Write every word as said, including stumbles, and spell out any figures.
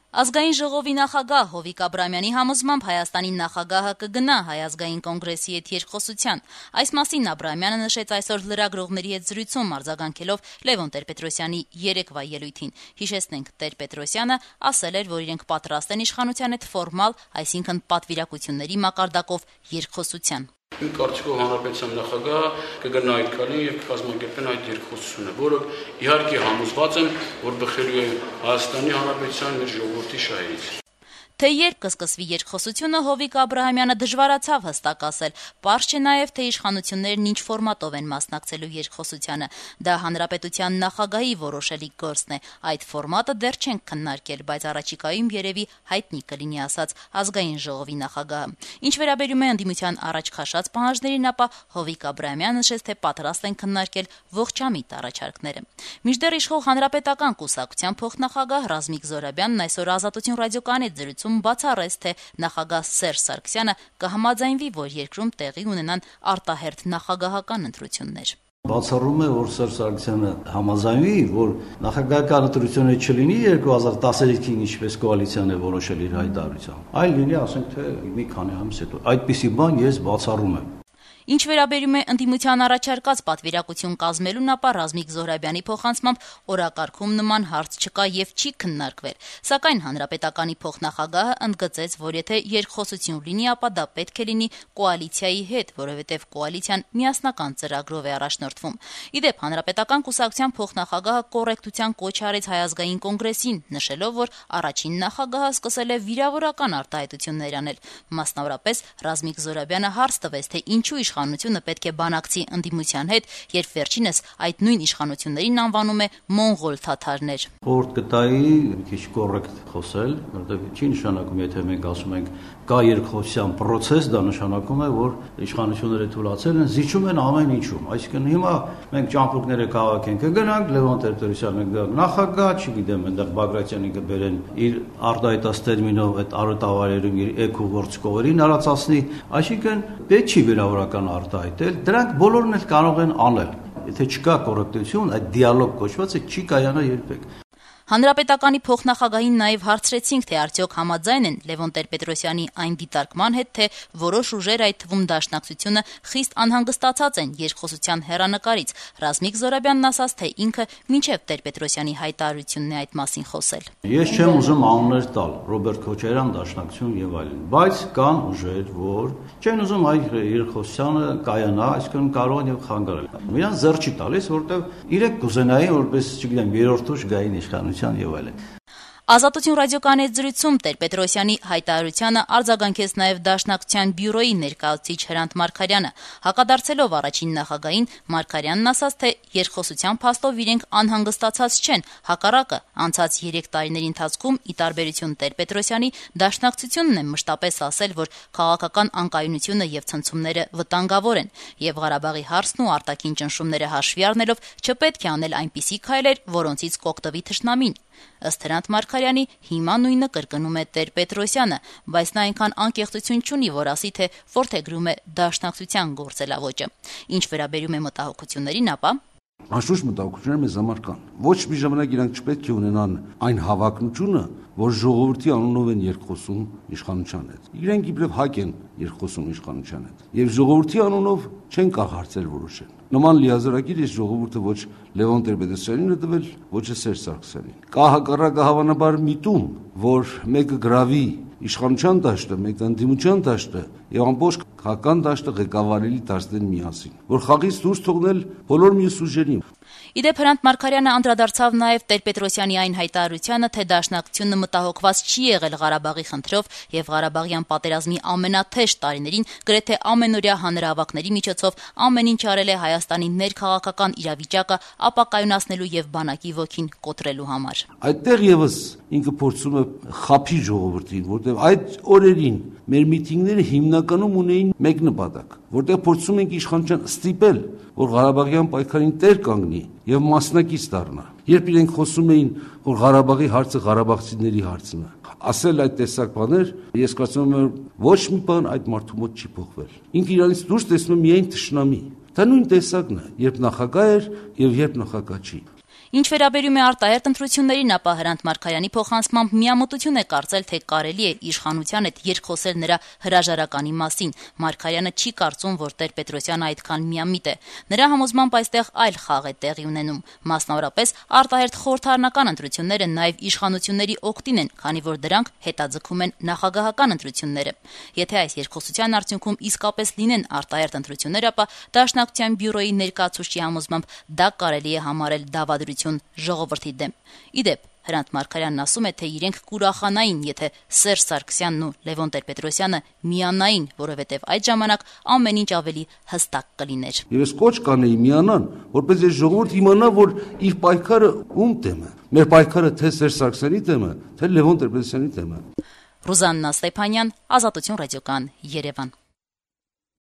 Ազգային ժողովի նախագահ Հովիկ Աբրահամյանի համոզմամբ Հայաստանի նախագահը կգնա Հայ ազգային կոնգրեսի հետ երկխոսության։ Այս մասին Աբրահամյանը նշեց այսօր լրագրողների հետ զրույցում, արձագանքելով Լևոն Տեր-Պետրոսյանի երեկվա ելույթին։ Հիշեցնենք, Տեր-Պետրոսյանը ասել էր, որ իրենք պատրաստ են իշխանության հետ ֆորմալ, այսինքն պատվիրակությունների մակարդակով երկխոսության։ Իմ կարծիքով հանրապետության նախագահը կգնա այդ քայլին եւ կկազմակերպեն այդ երկխոսությունը, որը իհարկե համոզված եմ, որ բխելու է Հայաստանի Հանրապետության մեր ժողովրդի շահերից։ Թե երբ կսկսվի երկխոսությունը, Հովիկ Աբրահամյանը դժվարացավ հստակ ասել։ Պարզ չէ նաև, թե իշխանություններն ինչ ֆորմատով են մասնակցելու երկխոսությանը։ Դա հանրապետության նախագահի որոշելի գործն է։ Այդ ֆորմատը դեռ չենք քննարկել, բայց առաջիկայում երևի հայտնի կլինի, ասաց ազգային ժողովի նախագահը։ Ինչ վերաբերում է ընդդիմության առաջ քաշած պահանջներին, ապա Հովիկ Աբրահամյանը նշեց, թե պատրաստ են քննարկել ողջամիտ առաջարկները։ Մինչդեռ իշխող հանրապետական կուսակցության փոխնախագահ Ռազմիկ Զոհրաբյանն այսօր Ազատություն ռադիոկայանի զրույցում բացառեց, թե նախագահ Սերժ Սարգսյանը կհամաձայնվի, որ երկրում տեղի ունենան արտահերթ նախագահական ընտրություններ։ Բացառում է, որ Սերժ Սարգսյանը համաձայնվի, որ նախագահական ընտրություններ չլինի երկու հազար տասնհինգին, ինչպես կոալիցիան է որոշել իր հայտարարությամբ, այլ լինի, ասենք թե մի քանի ամիս հետո։ Այդպիսի բան ես բացառում եմ։ Ինչ վերաբերում է ընդդիմության առաջարկած պատվիրակություն կազմելուն, ապա Ռազմիկ Զոհրաբյանի փոխանցմամբ օրակարգում նման հարց չկա եւ չի քննարկվել։ Սակայն հանրապետականի փոխնախագահը ընդգծեց, որ եթե երկխոսություն լինի, ապա դա պետք է լինի կոալիցիայի հետ, որովհետեւ կոալիցիան միասնական ծրագրով է առաջնորդվում։ Իդեպ հանրապետական կուսակցության փոխնախագահը կոռեկտության կոչ արեց Հայ ազգային կոնգրեսին, նշելով, որ առաջին նախագահը սկսել է վիրավորական արտահայտություններ անել։ Մասնավորապես Ռազմիկ Զոհրաբյանը հարց տվեց, թե ինչու իշխանությունը պետք է բանակցի ընդդիմության հետ, երբ վերջինս այդ նույն իշխանություններին անվանում է մոնղոլ թաթարներ։ Խորհուրդ կտայի մի քիչ կոռեկտ խոսել, որովհետև չի նշանակում, եթե մենք ասում ենք կա երկխոսության process, դա նշանակում է, որ իշխանությունները թույլատրել են, զիջում են ամեն ինչում։ Այսինքն հիմա մենք ճամփորդները քաղաքեն կգնանք, Լևոն Տեր-Պետրոսյանը կգա նախագահ, չգիտեմ, այնտեղ Բագրատյանը կբերեն իր արտահայտած տերմինով այդ արոտավարերում իր էկու գործկողերին արածացնի, այսինքն պետք չի վիրավորական արտահայտել, դրանք բոլորն էլ կարող են անել։ Եթե չկա կոռեկտություն, այդ դիալոգ կոչվածը չի կայանա երբեք։ Հանրապետականի փոխնախագահին նաև հարցրեցինք, թե արդյոք համաձայն են Լևոն Տեր-Պետրոսյանի այն դիտարկման հետ, թե որոշ ուժեր, այդ թվում Դաշնակցությունը, խիստ անհանգստացած են երկխոսության հեռանկարից։ Ռազմիկ Զոհրաբյանն ասաց, թե ինքը մինչև Տեր-Պետրոսյանի հայտարարությունն է այդ մասին խոսել։ Ես չեմ ուզում անուններ տալ, Ռոբերտ Քոչարյան, Դաշնակցություն եւ այլն, բայց կան ուժեր, որ չեն ուզում այդ երկխոսությանը կայանա, այսինքն կարող են եւ խանգարել։ Նրանց ձեռ չի տալիս, որովհետեւ իրենք կուզենային, որպես, չգիտեմ, երրորդ ուժ գային իշխանության եւ այլն։ Ազատություն ռադիոկայանի զրույցում Տեր-Պետրոսյանի հայտարարությանը արձագանքեց նաև Դաշնակցության բյուրոյի ներկայացուցիչ Հրանտ Մարգարյանը։ Հակադարձելով առաջին նախագահին, Մարգարյանն ասաց, թե երկխոսության փաստով իրենք անհանգստացած չեն, հակառակը, անցած երեք տարիների ընթացքում, ի տարբերություն Տեր-Պետրոսյանի, Դաշնակցությունն է մշտապես ասել, որ քաղաքական անկայունությունը եւ ցնցումները վտանգավոր են, եւ Ղարաբաղի հարցն ու արտաքին ճնշումները հաշվի առնելով չպետք է անել այնպիսի քայլեր, որոնցից կօգտվի թշնամին։ Ըստ Հրանտ Մարգարյանի, հիմա նույնը կրկնում է Տեր-Պետրոսյանը, բայց նա այնքան անկեղծություն չունի, որ ասի, թե որդեգրում է Դաշնակցության գործելավոճը։ Ինչ վերաբերում է մտահոգություններին, ապա Անշուշտ մտահոգությունները մեզ համար կան։ Ոչ մի ժամանակ իրանք չպետք է ունենան այն հավակնությունը, որ ժողովրդի անունով են երկխոսում իշխանության հետ։ Իրենք իբրև հակ են երկխոսում իշխանության հետ։ Եվ ժողովրդի անունով չեն կարող հարցեր որոշել։ Նման լիազորակիր ես ժողովուրդը ոչ Լևոն Տեր-Պետրոսյանին է տվել, ոչ է Սերժ Սարգսյանին։ Կա հակառակը հավանաբար միտում, որ մեկը գրավի իշխանության դաշտը, մեկը ընդդիմության դաշտը եւ ամբողջ քաղաքական դաշտը ղեկավարելի դարձնեն միասին, որ խաղից դուրս թողնել բոլոր մյուս ուժերին։ Իդեպ Հրանտ Մարգարյանը անդրադարձավ նաև Տեր-Պետրոսյանի այն հայտարարությանը, թե Դաշնակցությունը մտահոգված չի եղել Ղարաբաղի խնդրով եւ Ղարաբաղյան պատերազմի ամենաթեժ տարիներին գրեթե ամենօրյա հանրահավաքների միջոցով ամեն ինչ արել է Հայաստանի ներքաղաքական իրավիճակը ապակայունացնելու եւ բանակի ոգին կոտրելու համար։ Այդտեղ եւս ինքը փորձում է խափի ժողովրդին, որտեղ այդ օրերին մեր միտինգները հիմնականում ունեին մեկ նպատակ, որտեղ փորձում ենք իշխանության ստիպել, որ Ղարաբաղյան պայքարին տեր կանգնի եւ մասնակից դառնա։ Երբ իրենք խոսում էին, որ Ղարաբաղի հարցը ղարաբաղցիների հարցն է, ասել այդ տեսակ բաներ, ես կարծում եմ, որ ոչ մի բան այդ մարդու մոտ չի փոխվել։ Ինքը իրանից դուրս տեսնում է միայն թշնամի։ Դա նույն տեսակն է, երբ նախագահ էր եւ երբ նախագահ չի։ Ինչ վերաբերում է արտահերտ ընտրություններին, ապա Հրանտ Մարգարյանի փոխանցմամբ միամտություն է կարծել, թե կարելի է իշխանության հետ երկխոսել նրա հրաժարականի մասին։ Մարգարյանը չի կարծում, որ Տեր-Պետրոսյանը այդքան միամիտ է։ Նրա համոզմամբ այստեղ այլ խաղ է տեղի ունենում։ Մասնավորապես արտահերտ խորհրդարանական ընտրությունները նաև իշխանությունների օգտին են, քանի որ դրանք հետաձգում են նախագահական ընտրությունները։ Եթե այս երկխոսության արդյունքում իսկապես լինեն արտահերտ ընտրություններ, ապա Դաշնակցության բյուրոյի ներկայացուցչի համոզմամբ դա կարելի է համարել դավադրություն ժողովրդի դեմ։ Ի դեպ, Հրանտ Մարգարյանն ասում է, թե իրենք կուրախանային, եթե Սերժ Սարգսյանն ու Լևոն Տեր-Պետրոսյանը միանային, որովհետև այդ ժամանակ ամեն ինչ ավելի հստակ կլիներ։ Եվ ես կոչ կանեի միանան, որպես այս ժողովուրդ իմանա, որ իր պայքարը ում դեմ է։ Մեր պայքարը թե Սերժ Սարգսյանի դեմ է, թե Լևոն Տեր-Պետրոսյանի դեմ է։ Ռուզաննա Ստեփանյան, Ազատություն ռադիոկան, Երևան։